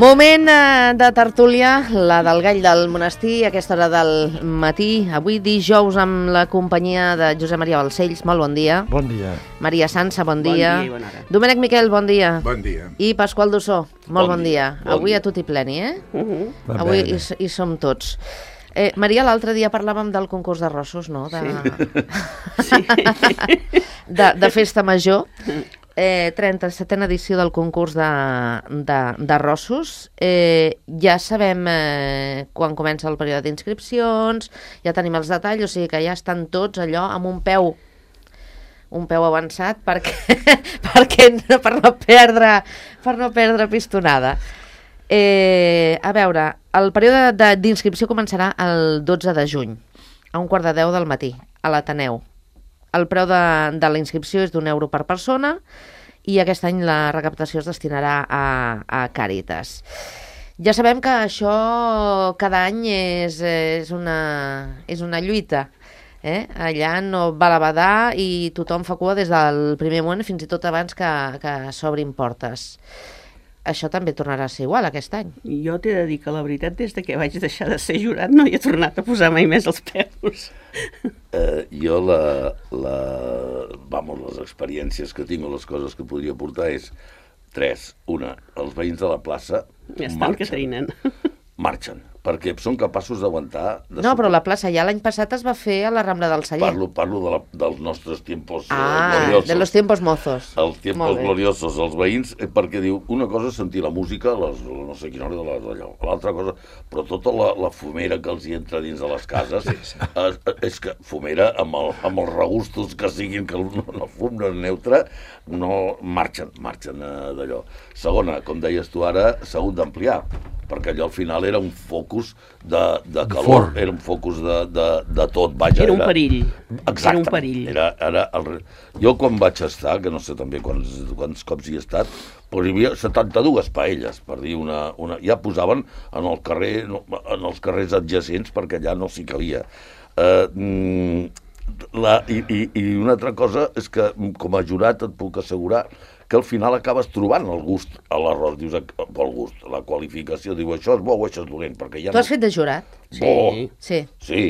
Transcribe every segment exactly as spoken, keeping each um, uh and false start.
Moment eh, de tertúlia, la del Gall del Monestir, a aquesta hora del matí. Avui dijous amb la companyia de Josep Maria Balcells. Molt bon dia. Bon dia. Maria Sansa, bon dia. Bon dia i bona hora. Domènec Miquel, bon dia. Bon dia. I Pasqual Dussó, molt bon, Bon dia. dia. Bon Avui dia. a tot i pleni, eh? Uh -huh. Va Avui bé. hi, hi som tots. Eh, Maria, l'altre dia parlàvem del concurs d'arrossos, no? De... Sí. de, de festa major. Eh, trenta-setena edició del concurs d'arrossos. Eh, ja sabem eh, quan comença el període d'inscripcions, ja tenim els detalls, o sigui que ja estan tots allò amb un peu un peu avançat perquè, perquè per no perdre per no perdre pistonada. Eh, a veure, el període d'inscripció començarà el dotze de juny, a un quart de deu del matí, a l'Ateneu. El preu de, de la inscripció és d'un euro per persona i aquest any la recaptació es destinarà a, a Càritas. Ja sabem que això cada any és, és, una, és una lluita. Eh? Allà no va la badar i tothom fa cua des del primer moment fins i tot abans que, que s'obrin portes. Això també tornarà a ser igual aquest any. Jo t'he de dir que la veritat, des de que vaig deixar de ser jurat, no hi he tornat a posar mai més els peus. Eh, jo la, la, vamos, les experiències que tinc o les coses que podria portar és tres. Una, els veïns de la plaça Ja estan marxen, que trinen. marxen, perquè són capaços d'aguantar... De No, però la plaça ja l'any passat es va fer a la Rambla del Celler. Parlo, parlo de la, dels nostres tiempos eh, Ah, gloriosos. de los tiempos mozos. Els tiempos Molt bé. gloriosos, els veïns, eh, perquè diu, una cosa és sentir la música, les, no sé quina hora de l'allò, l'altra cosa, però tota la, la fumera que els hi entra dins de les cases, és, és que fumera amb, el, amb els regustos que siguin, que el, el fum no és neutre, no marxen, marxen eh, d'allò. Segona, com deies tu ara, s'ha hagut d'ampliar, perquè allò al final era un focus de, de calor, forn. era un focus de, de, de tot, vaja. Era un perill. Exactament. Era un perill. Era, era el... Jo quan vaig estar, que no sé també quants, quants cops hi he estat, però hi havia setanta-dues paelles, per dir una, una... Ja posaven en el carrer, en els carrers adjacents perquè allà no s'hi cabia. Uh, la, i, i, I una altra cosa és que com a jurat et puc assegurar que al final acabes trobant el gust a l'arròs, dius, el gust, la qualificació, diu, això és bo o això és dolent, perquè ja Tu has fet de jurat? Bo. Sí. Sí,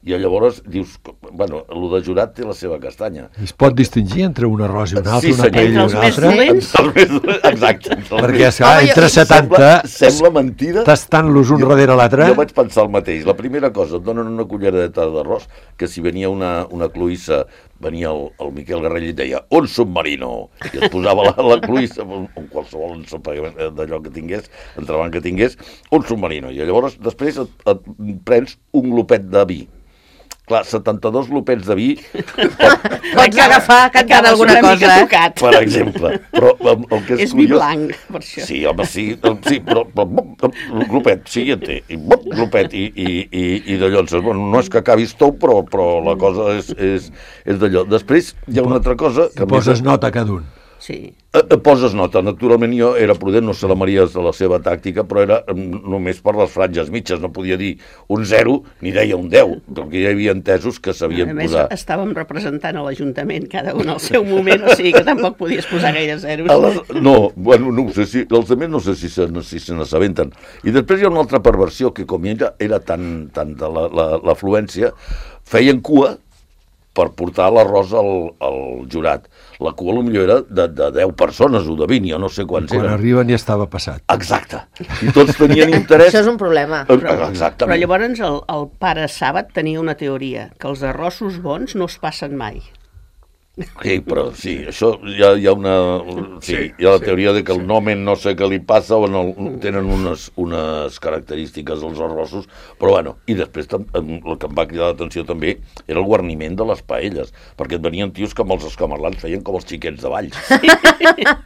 i llavors dius, bueno, el de jurat té la seva castanya. Es pot distingir entre un arròs i un altre, Sí, una senyor. paella i Entre els una més altra? dolents. Exacte. entre els Perquè, més- esclar, Home, jo- entre setanta, Sembla, sembla mentida. tastant-los un Jo- darrere l'altre. Jo vaig pensar el mateix. La primera cosa, et donen una culleradeta d'arròs, que si venia una, una cloïssa, venia el, el Miquel Garrell i et deia, un submarino, i et posava la, la cloïssa, en qualsevol ensopegament d'allò que tingués, entrebant que tingués, un submarino. I llavors després et, et prens un glopet de vi. Clar, setanta-dos glopets de vi, per, Pots agafar cantant Acabes alguna una mica cosa, eh? tocat. per exemple. Però el, el que és, És vi curiós... blanc, per això. Sí, home, sí, el- sí però, però bop, el glopet, sí, en té, i bop, glopet, i, i, i, i de llonses. Bueno, no és que acabis tou, però, però la cosa és, és, és d'allò. Després hi ha una altra cosa... Que I poses nota a cada un. Sí. Eh, eh, poses nota. Naturalment jo era prudent, no sé la Maria és de la seva tàctica, però era mm, només per les franges mitges, no podia dir un zero ni deia un deu, perquè hi havia entesos que A sabien més, posar. estàvem representant a l'Ajuntament, cada un al seu moment, o sigui que tampoc podies posar gaire zeros. A les, no, bueno, no ho sé si, els altres no sé si se, si se n'assabenten. I després hi ha una altra perversió, que com era, era tan, tan de l'afluència, feien cua per portar l'arròs al, al jurat. La cua potser era de, de deu persones o de vint, jo no sé quants Quan eren. arriben ja estava passat. Exacte. I tots tenien interès... Això és un problema. Eh, Però Exactament. llavors el, el pare Sàbat tenia una teoria, que els arrossos bons no es passen mai. Sí, però sí, això hi ha, hi ha una... Sí, hi ha la teoria de que el nomen no sé què li passa o no, tenen unes, unes característiques els arrossos, però bueno, i després tam, el que em va cridar l'atenció també era el guarniment de les paelles, perquè et venien tios que amb els escamarlans feien com els xiquets de Valls.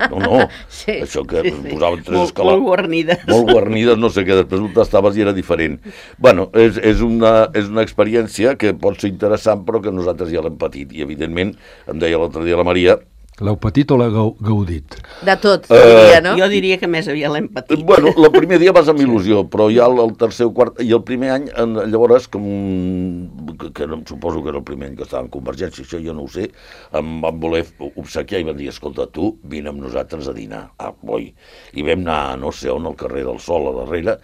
No, no, Sí, això que sí, sí. posaven tres Molt- escalars. molt guarnides. Molt guarnides, no sé què, després ho tastaves i era diferent. Bueno, és, és, una, és una experiència que pot ser interessant, però que nosaltres ja l'hem patit, i evidentment em deia l'altre dia la Maria L'heu patit o l'heu gaudit? De tot, Eh, diria, no? Jo diria que més aviat l'hem patit. Bueno, el primer dia vas amb il·lusió, però ja el, el tercer o quart... I el primer any, en, llavors, com, que, que no, suposo que era el primer any que estava en Convergència, això jo no ho sé, em van voler obsequiar i van dir, escolta, tu, vine amb nosaltres a dinar. Ah, boi. I vam anar, no sé on, al carrer del Sol, a darrere,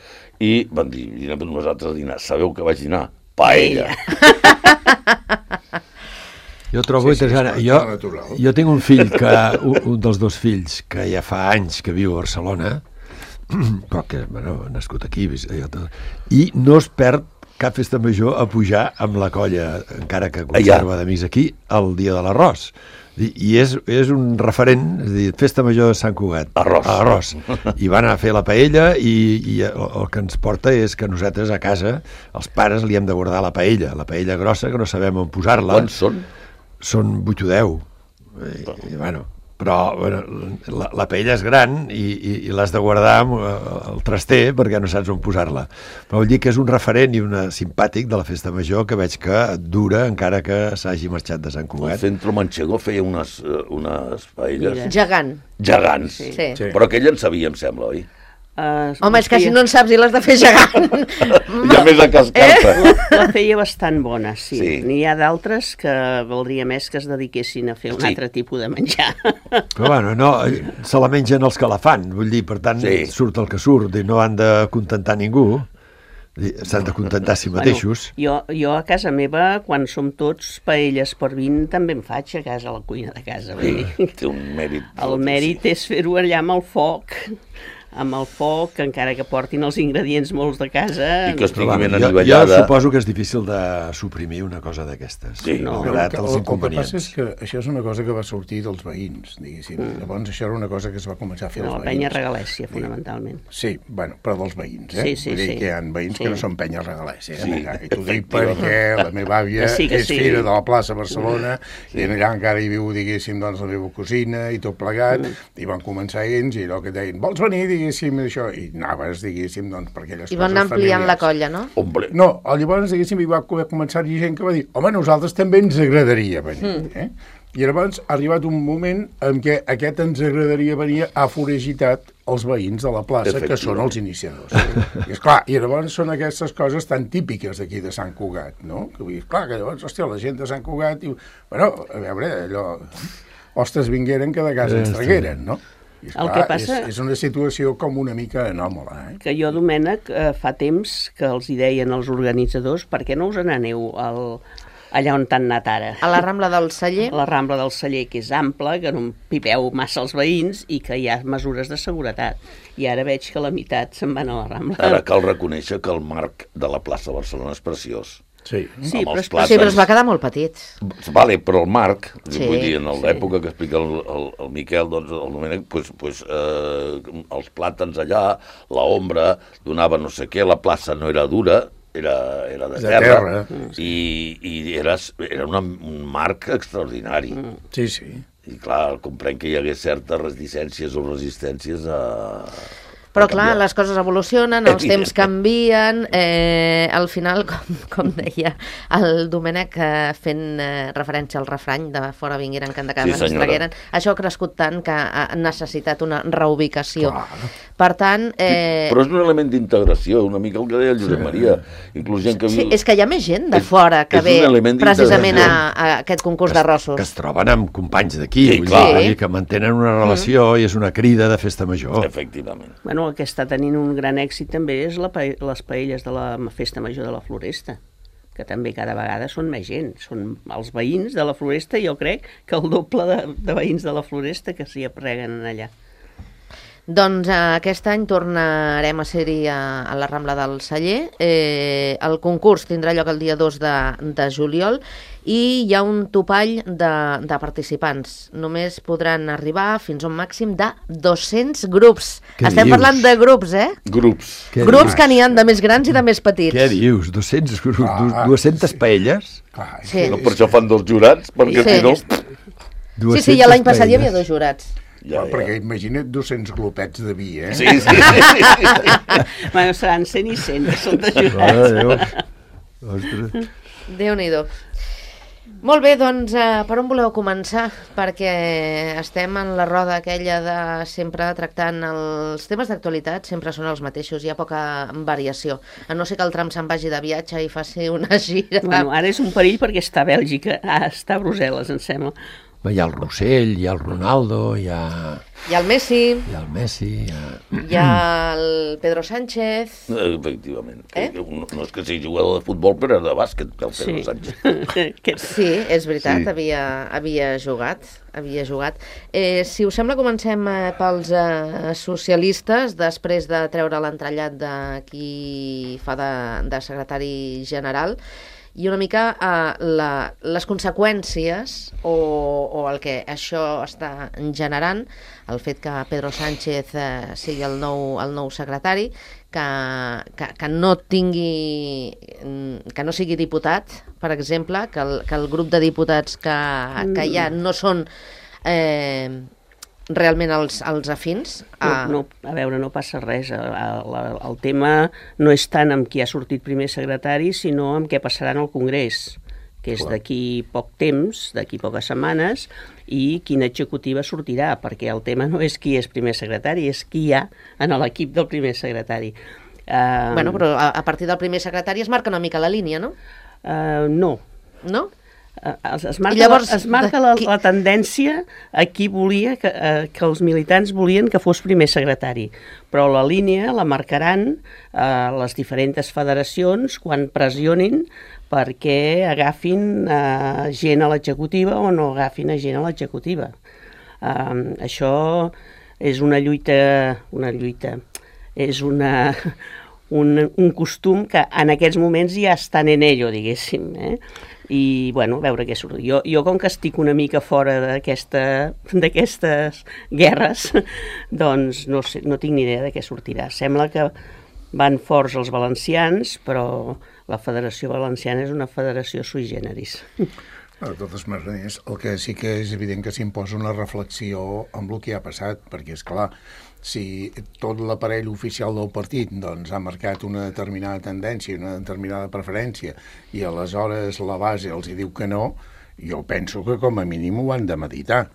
i van dir, vine amb nosaltres a dinar. Sabeu que vaig dinar? Paella. Jo trobo Sí, sí, interessant. és Jo, natural. jo tinc un fill, que un, un dels dos fills, que ja fa anys que viu a Barcelona, però que, bueno, ha nascut aquí, i no es perd cap festa major a pujar amb la colla, encara que conserva d'amics aquí, el dia de l'arròs. I, i és, és un referent, és a dir, festa major de Sant Cugat. Arròs. Arròs. I van a fer la paella i, i el, el que ens porta és que nosaltres a casa, els pares, li hem de guardar la paella, la paella grossa, que no sabem on posar-la. Quants són? Són vuit o deu. I, i, bueno, però bueno, la, la paella és gran i, i, i l'has de guardar amb el traster perquè no saps on posar-la. Però vull dir que és un referent i una simpàtic de la festa major que veig que dura encara que s'hagi marxat de Sant El Cugat. Centro Manchego feia unes, eh, unes paelles Mira. Gegant. gegants. Sí. Sí. Però aquell en sabia, em sembla, oi? Uh, Home, és que si no en saps i l'has de fer gegant. Hi ha més a cascar-te. La, la feia bastant bona, sí. Sí. N'hi ha d'altres que valdria més que es dediquessin a fer un Sí. altre tipus de menjar. Però bueno, no, se la mengen els que la fan, vull dir, per tant, Sí. surt el que surt i no han de contentar ningú, s'han de contentar a si mateixos. Bueno, jo, jo a casa meva, quan som tots paelles per vint, també en faig a casa, a la cuina de casa. Vull dir. Té un mèrit. El mèrit és fer-ho allà amb el foc, amb el foc, encara que portin els ingredients molts de casa. I que estigui Però, ben bueno, jo, jo anivellada. suposo que és difícil de suprimir una cosa d'aquestes. Sí. No. Malgrat el, els el, el que passa inconvenients. és que això és una cosa que va sortir dels veïns, diguéssim. Mm. Llavors això era una cosa que es va començar a fer No, als la veïns. penya regalèssia, fonamentalment. Sí, bueno, però dels veïns, eh? Sí, sí, Vull dir sí. que hi ha veïns Sí. que no són penyes regalèssia. Sí, Eh? I t'ho dic efectivament. perquè la meva àvia Que sí, que és sí. fira de la plaça Barcelona i allà encara hi viu, diguéssim, doncs, la meva cosina i tot plegat, Mm. i van començar ells i allò que deien, vols venir, diguéssim, això? I anaves, diguéssim, doncs, per aquelles I van coses anar ampliant la familiars. colla, no? Hombre, No, llavors, diguéssim, hi va començar-hi gent que va dir, home, nosaltres també ens agradaria venir, eh? I llavors ha arribat un moment en què aquest ens agradaria venir ha foragitat els veïns de la plaça, que són els iniciadors. I, esclar, i llavors són aquestes coses tan típiques d'aquí de Sant Cugat, no? Que vull dir, clar, que llavors, hòstia, la gent de Sant Cugat diu, bueno, a veure, allò, ostres vingueren que de casa ens tragueren, no? I, esclar, El que passa- és, és una situació com una mica anòmala, eh? Que jo, Domènec, eh, fa temps que els hi deien els organitzadors, per què no us n'aneu al, allà on t'han anat ara? A la Rambla del Celler. A la Rambla del Celler, que és ampla, que no empipeu massa els veïns i que hi ha mesures de seguretat. I ara veig que la meitat se'n van a la Rambla. ara cal reconèixer que el marc de la plaça de Barcelona és preciós. Sí. Sí, amb però els és plàtans. Sí, però es va quedar molt petit. Vale, però el marc, Sí, vull dir, en sí. l'època que explica el, el, el Miquel, doncs, el Domènec, pues, pues, eh, els plàtans allà, la ombra, donava no sé què, la plaça no era dura, era, era de, De terra, terra. i, i era, era una, un marc extraordinari. Mm. Sí, sí. I clar, comprenc que hi hagués certes resistències o resistències a... Però a clar, canviar. les coses evolucionen, els Evident. temps canvien, eh, al final, com, com deia el Domènec, eh, fent eh, referència al refrany de fora vingueren que de casa Sí, ens senyora. tragueren, això ha crescut tant que ha necessitat una reubicació. Clar. Per tant... Eh, Però és un element d'integració, una mica el que deia el Josep Maria. Inclús gent que sí, viu... és que hi ha més gent de És- fora que és un ve element precisament a, d'integració. a aquest concurs que, es- d'arrossos. que es troben amb companys d'aquí, Sí, vull clar. dir, vull dir que mantenen una relació i és una crida de festa major. Efectivament. Bueno, el que està tenint un gran èxit també és la, pa- les paelles de la Festa Major de la Floresta, que també cada vegada són més gent. Són els veïns de la Floresta, jo crec que el doble de, de veïns de la Floresta que s'hi apreguen allà. Doncs eh, aquest any tornarem a ser-hi a, a la Rambla del Celler. Eh, el concurs tindrà lloc el dia dos de, de juliol i hi ha un topall de, de participants. Només podran arribar fins a un màxim de dos-cents grups. Què Estem dius? parlant de grups, eh? Grups. Què grups dius? que n'hi ha de més grans i de més petits. Què dius? dos-cents grups, Ah, dues-centes paelles? Clar, és Sí. No, per això fan dos jurats, perquè Sí. si no... Sí, sí, ja l'any passat hi havia dos jurats. Ja, Clar, perquè ja. imagina't dos-cents glopets de vi, eh? Sí, sí, sí, sí, sí. Bueno, seran cent i cent, que són de Mare de jurats. Déu. Ostres. Déu-n'hi-do. Molt bé, doncs, eh, per on voleu començar? Perquè estem en la roda aquella de sempre tractant els temes d'actualitat, sempre són els mateixos, hi ha poca variació. A no ser que el Trump se'n vagi de viatge i faci una gira. Bueno, ara és un perill perquè està a Bèlgica, ah, està a Brussel·les, em sembla. Hi ha el Rossell, hi ha el Ronaldo, hi ha, Hi ha el Messi, hi ha el Messi, hi ha... hi ha el Pedro Sánchez... Efectivament. Eh? No, no és que sigui jugador de futbol, però de bàsquet, el Pedro Sí. Sánchez. Que- Sí, és veritat, Sí. havia, havia jugat, havia jugat. Eh, si us sembla, comencem eh, pels eh, socialistes, després de treure l'entrellat de qui fa de, de secretari general, i una mica eh, la, les conseqüències o, o el que això està generant, el fet que Pedro Sánchez eh, sigui el nou, el nou secretari, que, que, que no tingui, que no sigui diputat, per exemple, que el, que el grup de diputats que, que hi ha no són eh, realment els, els afins. No, a- no, a veure, no passa res. El, el, el tema no és tant amb qui ha sortit primer secretari, sinó amb què passarà en el Congrés, que és d'aquí poc temps, d'aquí poques setmanes, i quina executiva sortirà, perquè el tema no és qui és primer secretari, és qui hi ha en l'equip del primer secretari. Uh, Bueno, però a, a partir del primer secretari es marca una mica la línia, no? uh, no, No? Eh, Es, es marca, llavors, la, es marca la, la tendència a qui volia que, eh, que els militants volien que fos primer secretari, però la línia la marcaran eh, les diferents federacions quan pressionin perquè agafin eh, gent a l'executiva o no agafin a gent a l'executiva. Eh, això és una lluita, una lluita, és una, un, un costum que en aquests moments ja estan en ello, diguéssim, eh? I, bueno, veure què surt. Jo, jo com que estic una mica fora d'aquesta, d'aquestes guerres, doncs no, sé, no tinc ni idea de què sortirà. Sembla que van forts els valencians, però la Federació Valenciana és una federació sui generis. De totes maneres, el que sí que és evident que s'imposa una reflexió amb el que ha passat, perquè, és clar, si tot l'aparell oficial del partit doncs, ha marcat una determinada tendència, una determinada preferència, i aleshores la base els hi diu que no, jo penso que com a mínim ho han de meditar.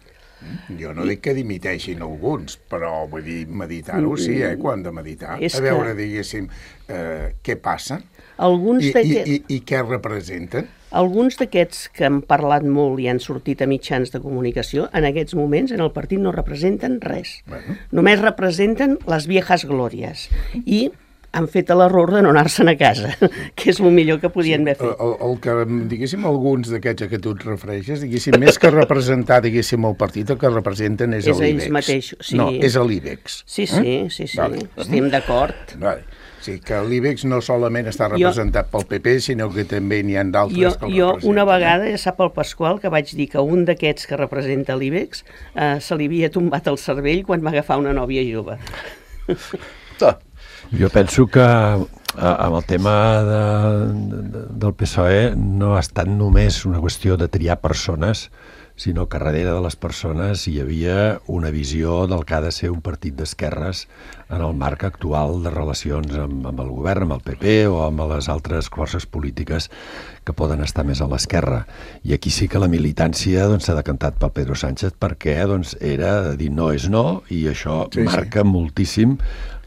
Jo no dic que dimiteixin alguns, però vull dir, meditar-ho sí, eh, que ho han de meditar. És A veure, que- diguéssim, eh, què passa Alguns i, i, d'aquests... i, i què representen. Alguns d'aquests que han parlat molt i han sortit a mitjans de comunicació, en aquests moments en el partit no representen res. Bueno. Només representen les viejas glòries. I han fet l'error de no anar-se'n a casa, que és el millor que podien haver El, fet. el, el que, diguéssim, alguns d'aquests a què tu et refereixes, diguéssim, més que representar, diguéssim, el partit, el que representen és, És l'IBEX. ells mateixos, sí. No, és l'IBEX. Sí, sí, sí, sí, Vale. estem d'acord. Vale. O sigui, que l'IBEX no solament està representat pel P P, sinó que també n'hi ha Jo, d'altres que el jo representen. una vegada, ja sap el Pasqual, que vaig dir que un d'aquests que representa l'IBEX eh, se li havia tombat el cervell quan va agafar una nòvia jove. Ah, Jo penso que eh, amb el tema de, de, del P S O E no ha estat només una qüestió de triar persones, sinó que darrere de les persones hi havia una visió del que ha de ser un partit d'esquerres en el marc actual de relacions amb, amb el govern, amb el P P o amb les altres forces polítiques que poden estar més a l'esquerra. I aquí sí que la militància doncs, s'ha decantat pel Pedro Sánchez perquè doncs, era dir no és no, i això Sí, sí. marca moltíssim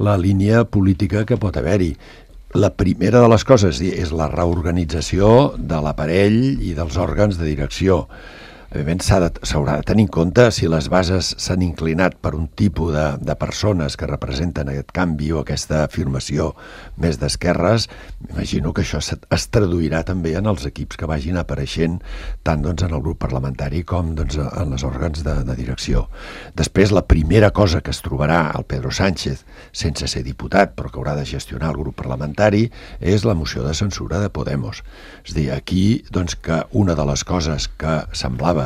la línia política que pot haver-hi. La primera de les coses és la reorganització de l'aparell i dels òrgans de direcció. Evidentment s'ha de- s'haurà de tenir en compte si les bases s'han inclinat per un tipus de, de persones que representen aquest canvi o aquesta afirmació més d'esquerres. Imagino que això se- es traduirà també en els equips que vagin apareixent tant doncs, en el grup parlamentari com doncs, en els òrgans de, de direcció. Després, la primera cosa que es trobarà el Pedro Sánchez, sense ser diputat, però que haurà de gestionar el grup parlamentari, és la moció de censura de Podemos. És a dir, aquí doncs, que una de les coses que semblava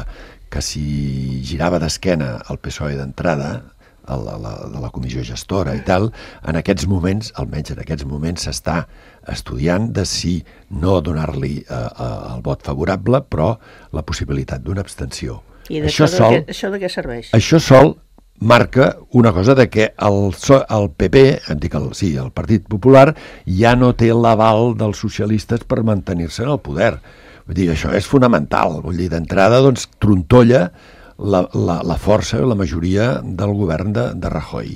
que si girava d'esquena al P S O E d'entrada, a la, la, de la comissió gestora i tal, en aquests moments, almenys en aquests moments, s'està estudiant de si no donar-li eh, eh, el vot favorable, però la possibilitat d'una abstenció. I d'això Això de, sol, què- això de què serveix? això sol marca una cosa de que el, so- el P P, em dic el, sí, el Partit Popular, ja no té l'aval dels socialistes per mantenir-se en el poder. Vull dir, això és fonamental. Vull dir, d'entrada, doncs, trontolla la, la, la força, la majoria del govern de, de Rajoy.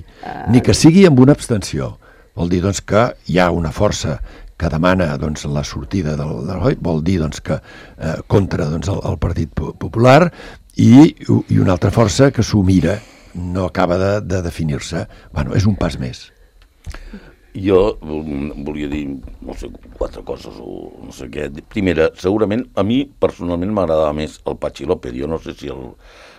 Ni que sigui amb una abstenció. Vol dir, doncs, que hi ha una força que demana doncs, la sortida del, del Rajoy, vol dir doncs, que eh, contra doncs, el, el Partit Popular, i, i una altra força que s'ho mira, no acaba de, de definir-se. Bueno, és un pas més. Jo volia dir, no sé, quatre coses o no sé què. Primera, segurament, a mi personalment m'agradava més el Patxi López. Jo no sé si el,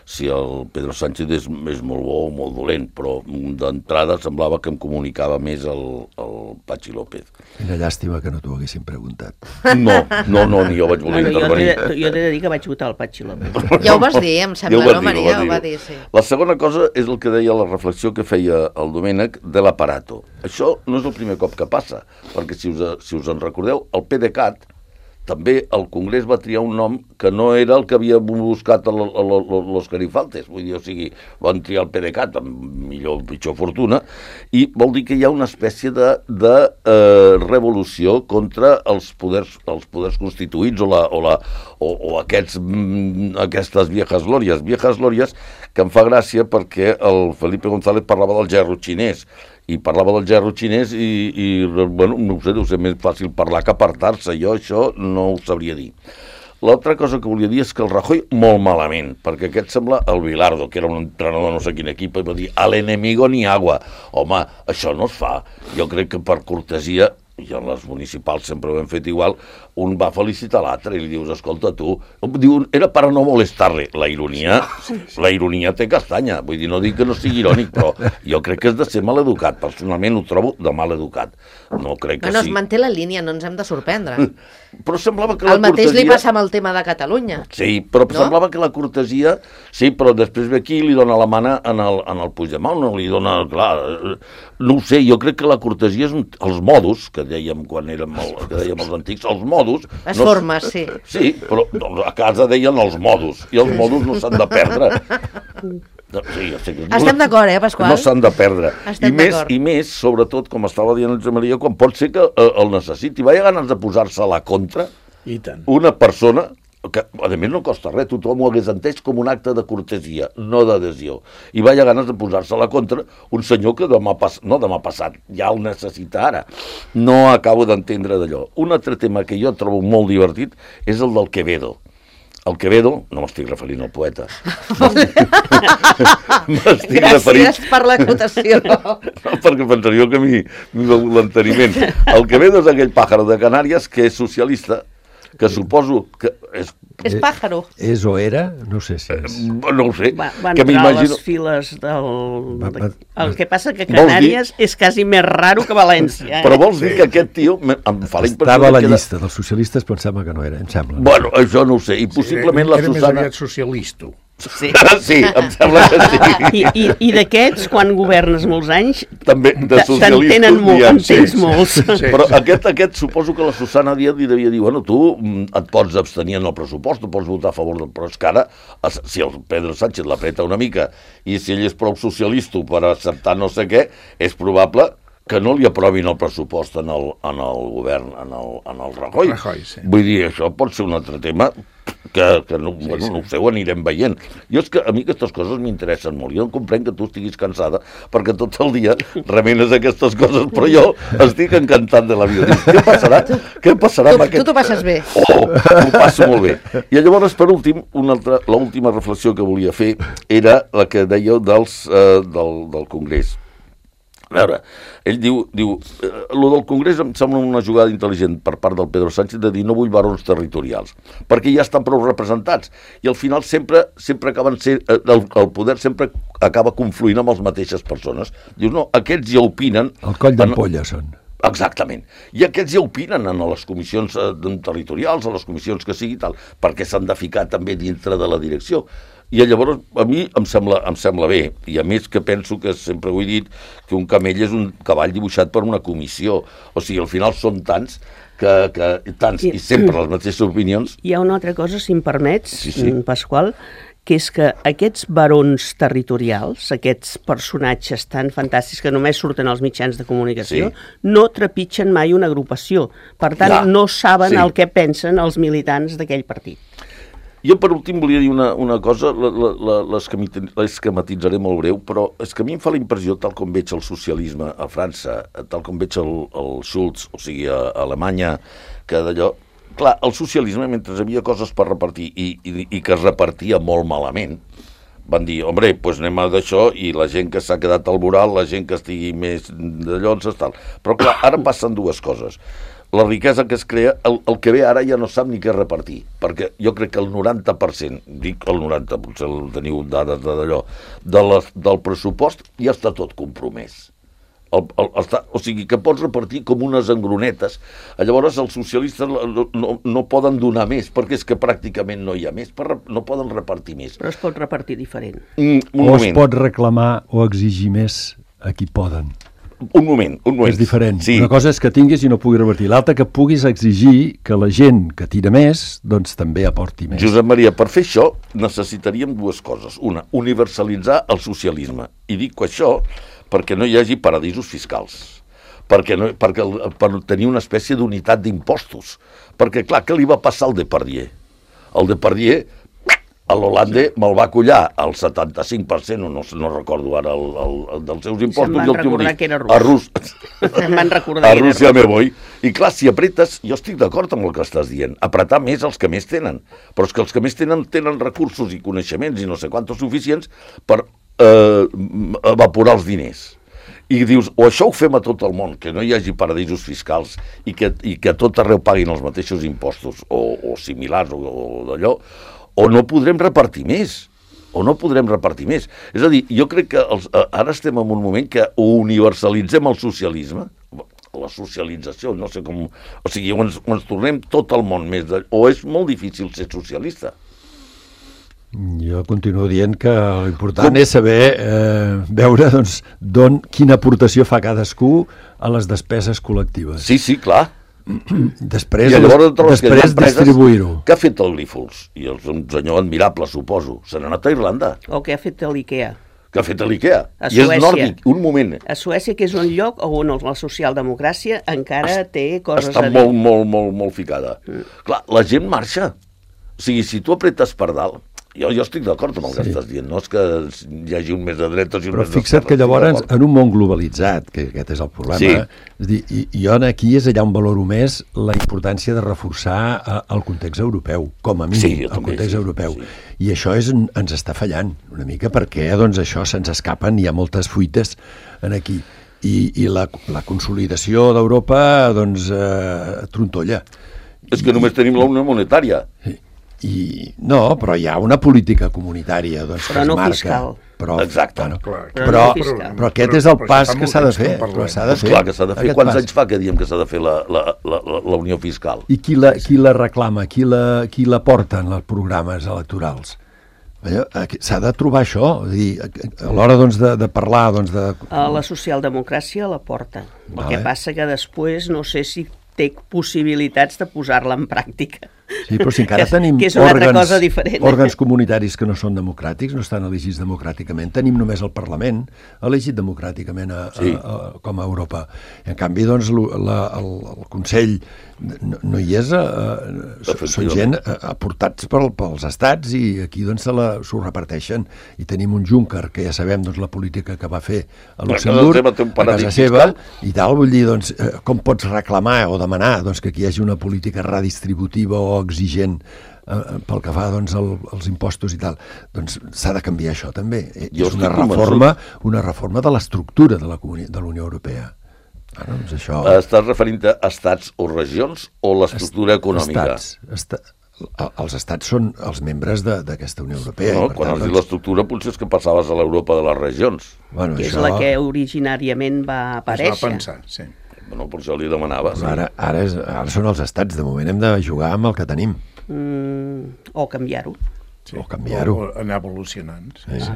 si el Pedro Sánchez és, és molt bo o molt dolent, però d'entrada semblava que em comunicava més el, el Patxi López. Quina llàstima que no t'ho haguessin preguntat. No, no, no, ni jo vaig voler Bueno, jo intervenir. t'he de, jo t'he de dir que vaig votar el Patxi López. Ja ho vas dir, em sembla, Ja ho vas no, dir, Maria? ho Ho vas va dir. dir, sí. La segona cosa és el que deia la reflexió que feia el Domènec de l'aparato. Això no és el primer cop que passa, perquè si us, si us en recordeu, el PDeCAT també el Congrés va triar un nom que no era el que havia buscat el, el, el, los Garifaltes. Vull dir, o sigui, van triar el PDeCAT amb millor o pitjor fortuna, i vol dir que hi ha una espècie de, de eh, revolució contra els poders, els poders constituïts o, la, o, la, o, o aquests, mm, aquestes viejas glòries. Viejas glòries que em fa gràcia perquè el Felipe González parlava del gerro xinès, i parlava del gerro xinès i, i bueno, no ho sé, deu ser més fàcil parlar que apartar-se. Jo això no ho sabria dir. L'altra cosa que volia dir és que el Rajoy molt malament, perquè aquest sembla el Bilardo, que era un entrenador de no sé quin equip, i va dir, al enemigo ni agua. Home, això no es fa. Jo crec que per cortesia, i en les municipals sempre ho hem fet igual, un va felicitar l'altre i li dius, escolta, tu... Diu, era per no molestar-le. La ironia, la ironia té castanya. Vull dir, no dic que no sigui irònic, però jo crec que és de ser maleducat. Personalment ho trobo de maleducat. No crec que Bueno, es sí. manté la línia, no ens hem de sorprendre. Però semblava que la El mateix li cortesia... passa amb el tema de Catalunya. Sí, però No? no? semblava que la cortesia... Sí, però després ve aquí i li dona la mana en el, en el Puigdemont, no li dona... Clar, no ho sé, jo crec que la cortesia és un, els modus, que dèiem quan érem el, que dèiem els antics, els modus... Les no, formes, sí. Sí, però doncs, a casa deien els modus, i els modus no s'han de perdre. Sí, ja sé que... Estem d'acord, eh, Pasqual? No s'han de perdre. Estem I més, d'acord. I més, sobretot, com estava dient el Josep Maria, quan pot ser que eh, el necessiti. Vaya ganes de posar-se a la contra I tant. una persona que, a més, no costa res, tothom ho hagués entès com un acte de cortesia, no d'adhesió. I vaya ganes de posar-se a la contra un senyor que demà, pas, no demà passat, ja el necessita ara. No acabo d'entendre d'allò. Un altre tema que jo trobo molt divertit és el del Quevedo. El Quevedo, no m'estic referint al poeta. M'estic referint... Gràcies per l'acotació. No, perquè pensaríeu que m'hi m'hi va l'enteniment. El Quevedo és aquell pàjaro de Canàries que és socialista, que suposo que és... És pàjaro. És o era? No sé si és. No ho sé. Va, va que entrar a m'imagino... les files del... Va, va, El que passa que Vols Canàries és quasi més raro que València. Eh? Però vols dir que aquest tio... me- Em fa la impressió Estava a la que era- llista dels socialistes, però em sembla que no era, em sembla. Bueno, això no ho sé. I possiblement la era més Susana... aviat socialista. Sí. Sí, em sembla que sí. I, i, i d'aquests, quan governes molts anys, També de te- socialistes te'n tenen n'hi molt, ha. en tens sí, molts. sí. Però aquest, aquest suposo que la Susana Díaz li devia dir, bueno, tu mm, et pots abstenir en el pressupost, tu pots votar a favor del... Però és que ara, es- si el Pedro Sánchez l'apreta una mica i si ell és prou socialista per acceptar no sé què, és probable que no li aprovin el pressupost en el, en el govern, en el, en el Rajoy. Rajoy, sí. Vull dir, això pot ser un altre tema que, que no, sí, bueno, sí. no ho sé, ho anirem veient. Jo és que a mi aquestes coses m'interessen molt. Jo comprenc que tu estiguis cansada perquè tot el dia remenes aquestes coses, però jo estic encantat de la vida. Dius, què passarà? Què passarà Tu, amb aquest... tu t'ho passes bé. Oh, ho passo molt bé. I llavors, per últim, una altra, l'última reflexió que volia fer era la que dèieu dels, eh, del, del Congrés. A veure, ell diu, diu eh, lo del Congrés em sembla una jugada intel·ligent per part del Pedro Sánchez de dir no vull barons territorials, perquè ja estan prou representats, i al final sempre sempre acaben ser, eh, el, el poder sempre acaba confluint amb les mateixes persones. Dius, no, aquests ja opinen... El coll en- d'ampolla són. Exactament. I aquests ja opinen en les comissions eh, territorials, a les comissions que sigui tal, perquè s'han de ficar també dintre de la direcció. I llavors a mi em sembla, em sembla bé, i a més que penso que sempre ho he dit, que un camell és un cavall dibuixat per una comissió. O sigui, al final són tants que, que tants, i sempre les mateixes opinions. Hi ha una altra cosa, si em permets, Sí, sí. Pasqual, que és que aquests barons territorials, aquests personatges tan fantàstics que només surten als mitjans de comunicació, Sí. no trepitgen mai una agrupació. Per tant, Ja, no saben sí. el que pensen els militants d'aquell partit. Jo, per últim, volia dir una, una cosa, l'esquematitzaré molt breu, però és que a mi em fa la impressió, tal com veig el socialisme a França, tal com veig el, el Schulz, o sigui, a, a Alemanya, que d'allò... Clar, el socialisme, mentre hi havia coses per repartir i, i, i que es repartia molt malament, van dir, hombre, doncs anem a d'això i la gent que s'ha quedat al voral, la gent que estigui més d'allò, tal. Però clar, ara passen dues coses. La riquesa que es crea, el, el que ve ara ja no sap ni què repartir, perquè jo crec que el noranta per cent, dic el noranta, potser teniu dades d'allò, de la, del pressupost ja està tot compromès. El, el, està, o sigui, que pots repartir com unes engronetes. Llavors els socialistes no, no, no poden donar més, perquè és que pràcticament no hi ha més, per, no poden repartir més. Però es pot repartir diferent. Mm, un o moment. es pot reclamar o exigir més a qui poden. Un moment, un moment. És diferent. Sí. Una cosa és que tinguis i no puguis revertir. L'altra que puguis exigir que la gent que tira més, doncs també aporti més. Josep Maria, per fer això necessitaríem dues coses. Una, universalitzar el socialisme. I dic això perquè no hi hagi paradisos fiscals. Perquè, no, perquè per tenir una espècie d'unitat d'impostos. Perquè, clar, què li va passar al Depardieu? El Depardieu, a l'Holanda, me'l va collar al setanta-cinc per cent, no, no recordo ara el, el, el dels seus impostos. Se'm van recordar que era rus. A, Rus... Se'm van recordar a que era Rússia rus. me voy. I clar, si apretes, jo estic d'acord amb el que estàs dient, apretar més els que més tenen. Però és que els que més tenen tenen recursos i coneixements i no sé quantos suficients per eh, evaporar els diners. I dius, o això ho fem a tot el món, que no hi hagi paradisos fiscals i que, i que a tot arreu paguin els mateixos impostos o, o similars o, o d'allò, o no podrem repartir més, o no podrem repartir més. És a dir, jo crec que els, ara estem en un moment que o universalitzem el socialisme, la socialització, no sé com... O sigui, o ens, o ens tornem tot el món més... De, o és molt difícil ser socialista. Jo continuo dient que l'important és saber eh, veure doncs, don, quina aportació fa cadascú a les despeses col·lectives. Sí, sí, clar. Després, I llavors després distribuir-ho. Què ha fet el Grífols? I és un senyor admirable, suposo. Se n'ha anat a Irlanda. O què ha fet l'IKEA? Què ha fet l'IKEA? A I és Suècia. nòrdic. Un moment. A Suècia, que és un lloc on la socialdemocràcia encara té coses Està a dir. molt, molt, molt, molt ficada. Mm. Clar, la gent marxa. O sigui, si tu apretes per dalt, jo, jo estic d'acord amb el que sí. estàs dient, no és que hi hagi un més de dretes i un Però més fixa't que llavors, en un món globalitzat, que aquest és el problema, Sí. és dir, i, i jo aquí és allà on valoro més la importància de reforçar eh, el context europeu, com a mínim, Sí, jo el també, context sí, europeu. sí. I això és, ens està fallant una mica perquè doncs, això se'ns escapen, hi ha moltes fuites en aquí. I, i la, la consolidació d'Europa doncs, eh, trontolla. És que només tenim la unió monetària. I, no, però hi ha una política comunitària doncs, Però que es no marca. fiscal. Però, Exacte. Bueno, Clar, Però però, no fiscal. però aquest Però- és el però pas això fa que molt s'ha de temps que fer. en parlem. Però s'ha de Doncs fer. clar que s'ha de fer. Aquest Quants pas. anys fa que diem que s'ha de fer la, la, la, la, la unió fiscal? I qui la, qui la reclama? Qui la, qui la porta en els programes electorals? Allò, aquí S'ha de trobar això. És a dir, a l'hora doncs, de, de parlar... Doncs, de... A la socialdemocràcia la porta. El Vale. que passa que després no sé si té possibilitats de posar-la en pràctica. Sí, però si encara que, tenim que és una altra òrgans, cosa diferent. òrgans comunitaris que no són democràtics, no estan elegits democràticament, tenim només el Parlament elegit democràticament a, Sí. a, a, com a Europa. I en canvi, doncs, lo- la, el, el Consell no, no hi és, eh, són, són gent eh, aportats pel, pels estats i aquí doncs se la- s'ho reparteixen. I tenim un Juncker, que ja sabem doncs, la política que va fer a casa Luxemburg, seva té un a paradís casa seva, fiscal. i tal, vull dir, doncs, eh, com pots reclamar o demanar doncs, que aquí hi hagi una política redistributiva o exigent eh, pel que fa doncs, el, els impostos i tal, doncs s'ha de canviar això també. Eh, Jo és una estic convençut. reforma, una reforma de l'estructura de la, comuni- de la Unió Europea. Ah, doncs això... Estàs referint a estats o regions o l'estructura econòmica? Estats, esta, el- els estats són els membres de- d'aquesta Unió Europea. No, i per quan tant, has dit doncs, l'estructura potser és que passaves a l'Europa de les regions. bueno, Que és això, la que originàriament va Es va aparèixer. pensar, sí. Bueno, per això li demanava. Sí. Ara, ara, és, ara són els estats, de moment hem de jugar amb el que tenim, Mm, o canviar-ho. sí. o canviar-ho. O, o anar evolucionant. Sí, sí.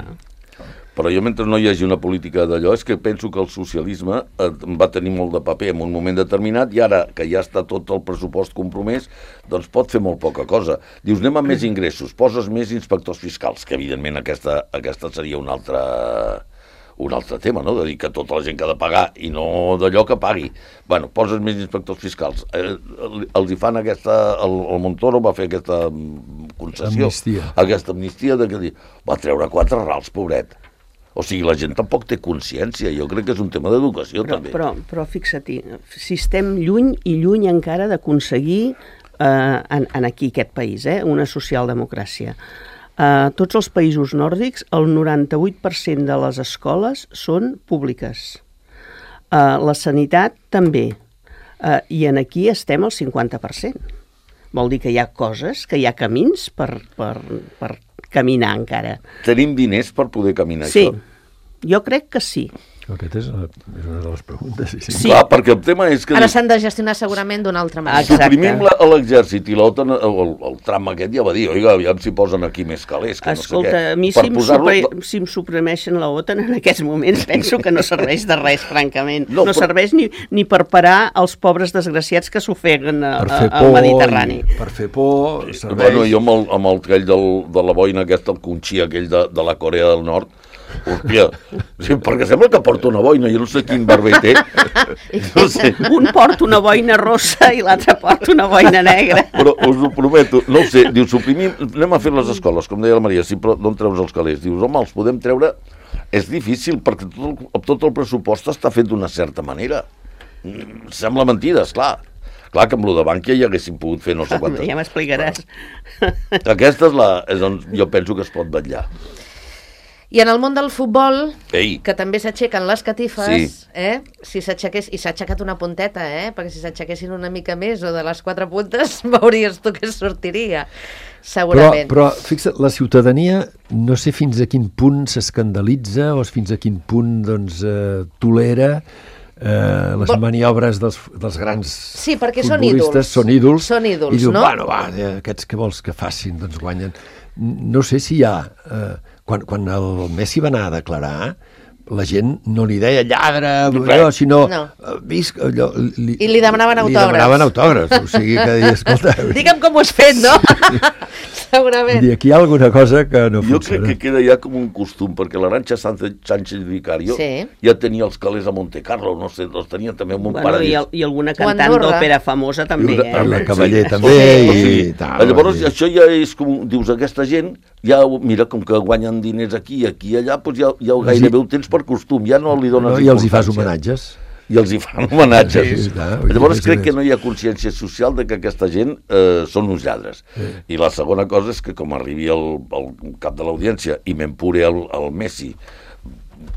Però jo, mentre no hi hagi una política d'allò, és que penso que el socialisme eh, va tenir molt de paper en un moment determinat i ara que ja està tot el pressupost compromès, doncs pot fer molt poca cosa. Dius, anem amb més ingressos, poses més inspectors fiscals, que evidentment aquesta, aquesta seria un altre, un altre tema, no? De dir que tota la gent que ha de pagar i no d'allò que pagui. Bueno, poses més inspectors fiscals. Eh, els hi fan aquesta... El, el Montoro va fer aquesta concessió, amnistia. aquesta amnistia de que va treure quatre rals, pobret. O sigui, la gent tampoc té consciència. Jo crec que és un tema d'educació, Però, també. però, però fixa-t'hi, si estem lluny i lluny encara d'aconseguir eh, en, en aquí aquest país, eh, una socialdemocràcia. A tots els països nòrdics, el noranta-vuit per cent de les escoles són públiques. Uh, la sanitat també. Uh, I en aquí estem al cinquanta per cent. Vol dir que hi ha coses, que hi ha camins per, per, per caminar encara. Tenim diners per poder caminar Sí, això? jo crec que sí. Aquesta és una, és una de les preguntes. Sí, sí. Sí. Clar, perquè el tema és que... Ara s'han de gestionar segurament d'una altra manera. Exacte. Suprimim la- l'exèrcit i l'OTAN, el, el, el tram aquest ja va dir, oiga, aviam si posen aquí més calés, que Escolta, no sé què. a mi Per si em, posar-lo- supre, si em suprimeixen la OTAN en aquests moments penso que no serveix de res, francament. No, No, però- serveix ni, ni per parar els pobres desgraciats que s'ofeguen a, Per a, fer al por, Mediterrani. i- per fer por, serveix... Bueno, jo amb el, amb el aquell del, de la boina aquesta, el conxí aquell de, de la Corea del Nord, hòstia, sí, perquè sembla que porta una boina, jo no sé quin barber té. No sé, Un porta una boina rossa i l'altre porta una boina negra. però us ho prometo, no ho sé, diu, suprimim, anem a fer les escoles, com deia la Maria, sí, però d'on treus els calés? Dius, home, els podem treure... És difícil, perquè tot el, tot el pressupost està fet d'una certa manera. Mm, Sembla mentida, esclar. Clar que amb lo de Bànquia hi haguéssim pogut fer no sé quantes... Ja m'explicaràs. Aquesta és, la, és on jo penso que es pot vetllar. I en el món del futbol, Ei, que també s'aixequen les catifes, Sí. eh? Si s'aixequés, i s'ha aixecat una punteta, eh? Perquè si s'aixequessin una mica més o de les quatre puntes, veuries tu què sortiria, Però, segurament. però fixa't, la ciutadania no sé fins a quin punt s'escandalitza o fins a quin punt doncs, eh, tolera eh, les Bo- maniobres dels, dels grans Sí, perquè són futbolistes, ídols. són ídols, Són ídols, i diu, no? bueno, va, eh, aquests que vols que facin, doncs guanyen. No sé si hi ha... Eh, quan, quan el Messi va anar a declarar, la gent no li deia lladre, allò, sinó No. eh, visc, allò, li, I li demanaven Li autògrafs. demanaven autògrafs, o sigui que deia, escolta, Digue'm com ho has fet, no? Segurament. vull dir, aquí hi ha alguna cosa que no jo crec funciona. que queda ja com un costum, perquè l'Arantxa Sánchez, Sánchez Vicario Sí. ja tenia els calés a Monte Carlo, no sé, els tenia també en un Bueno, i, paradís. el, I alguna O cantant Andorra. d'òpera famosa també, I una- eh? La Cavaller Sí. també, O i sigui, tal. llavors vull dir. això ja és com, dius, aquesta gent, ja, mira, com que guanyen diners aquí i aquí i allà, doncs ja, ja gairebé ho tens per costum, ja no li dones No, i els hi fas importància. homenatges. I els hi fan homenatges. Sí, sí, clar, vull dir, Llavors més o crec que menys. no hi ha consciència social de que aquesta gent eh, són uns lladres. I la segona cosa és que com arribi el, el cap de l'audiència i m'empure el, el Messi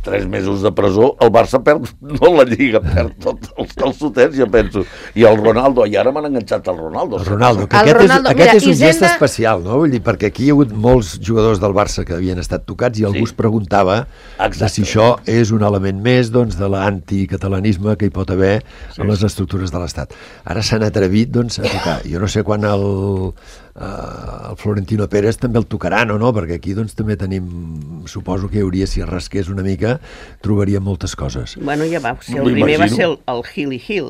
tres mesos de presó, el Barça perd, no la Lliga, perd tots els calçotets, jo penso. I el Ronaldo, i ara m'han enganxat el Ronaldo. El Ronaldo, que El aquest, Ronaldo, és, mira, aquest és un gest Hisenda- especial, no? Vull dir, perquè aquí hi ha hagut molts jugadors del Barça que havien estat tocats i algú Sí. es preguntava de Exacte. si això és un element més doncs, de l'anticatalanisme que hi pot haver sí. en les estructures de l'Estat. Ara s'han atrevit doncs, a tocar. Jo no sé quan el, eh, el Florentino Pérez també el tocaran o no, perquè aquí doncs, també tenim, suposo que hi hauria, si es rasqués una mica, trobaria moltes coses. Bueno, ja va ser, el M'ho primer va imagino. ser el, el Hill i Hill.